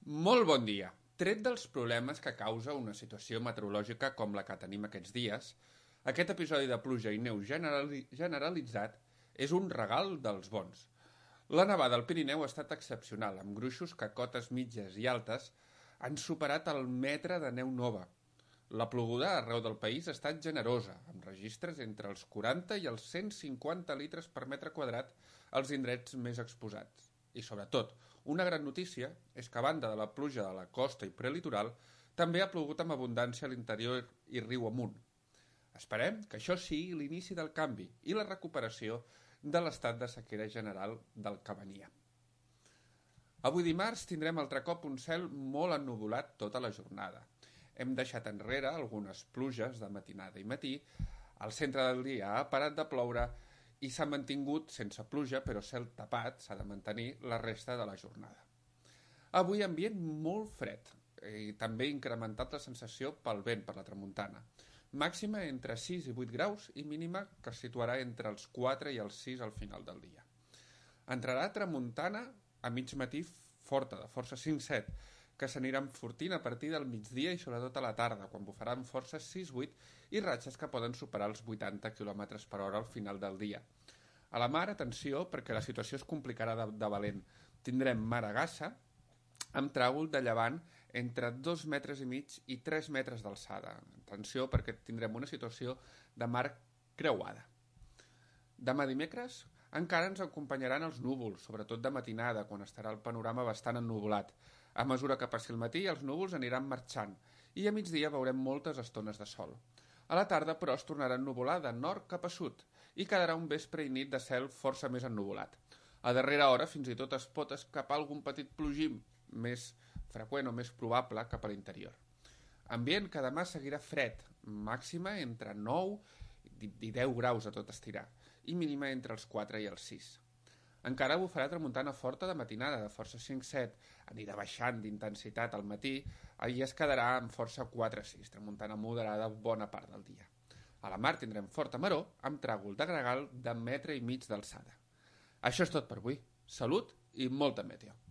Molt bon dia. Tret dels problemes que causa una situació meteorològica com la que tenim aquests dies, aquest episodi de pluja i neu generalitzat és un regal dels bons. La nevada al Pirineu ha estat excepcional, amb gruixos que a cotes mitges i altes han superat el metre de neu nova. La ploguda arreu del país ha estat generosa, amb registres entre els 40 i els 150 litres per metre quadrat als indrets més exposats. I, sobretot, una gran notícia és que, a banda de la pluja de la costa i prelitoral, també ha plogut amb abundància a l'interior i riu amunt. Esperem que això sigui l'inici del canvi i la recuperació de l'estat de sequera general del que venia. Avui dimarts tindrem altre cop un cel molt ennuvolat tota la jornada. Hem deixat enrere algunes pluges de matinada i matí, al centre del dia ha parat de ploure i s'ha mantingut sense pluja, però cel tapat s'ha de mantenir la resta de la jornada. Avui ambient molt fred i també incrementat la sensació pel vent per la tramuntana. Màxima entre 6 i 8 graus i mínima que es situarà entre els 4 i els 6 al final del dia. Entrarà tramuntana a mig matí forta, de força 5-7, que s'anirà enfortint a partir del migdia i sobretot a la tarda, quan bufaran forces 6-8 i ratxes que poden superar els 80 km per hora al final del dia. A la mar, atenció, perquè la situació es complicarà de valent. Tindrem mar a Gassa, amb tràgol de llevant entre 2,5 metres i 3 metres d'alçada. Atenció, perquè tindrem una situació de mar creuada. Demà dimecres encara ens acompanyaran els núvols, sobretot de matinada, quan estarà el panorama bastant ennuvolat. A mesura que passi el matí, els núvols aniran marxant i a migdia veurem moltes estones de sol. A la tarda, però, es tornarà a ennuvolar de nord cap a sud i quedarà un vespre i nit de cel força més ennuvolat. A darrera hora, fins i tot es pot escapar algun petit plogim més freqüent o més probable cap a l'interior. Ambient que demà seguirà fred, màxima entre 9 i 10 graus a tot estirar i mínima entre els 4 i els 6. Encara bufarà tramuntana forta de matinada, de força 5-7, anirà baixant d'intensitat al matí i es quedarà amb força 4-6, tramuntana moderada bona part del dia. A la mar tindrem forta maró amb tràgol de gregal de 1,5 metre d'alçada. Això és tot per avui. Salut i molta meteo.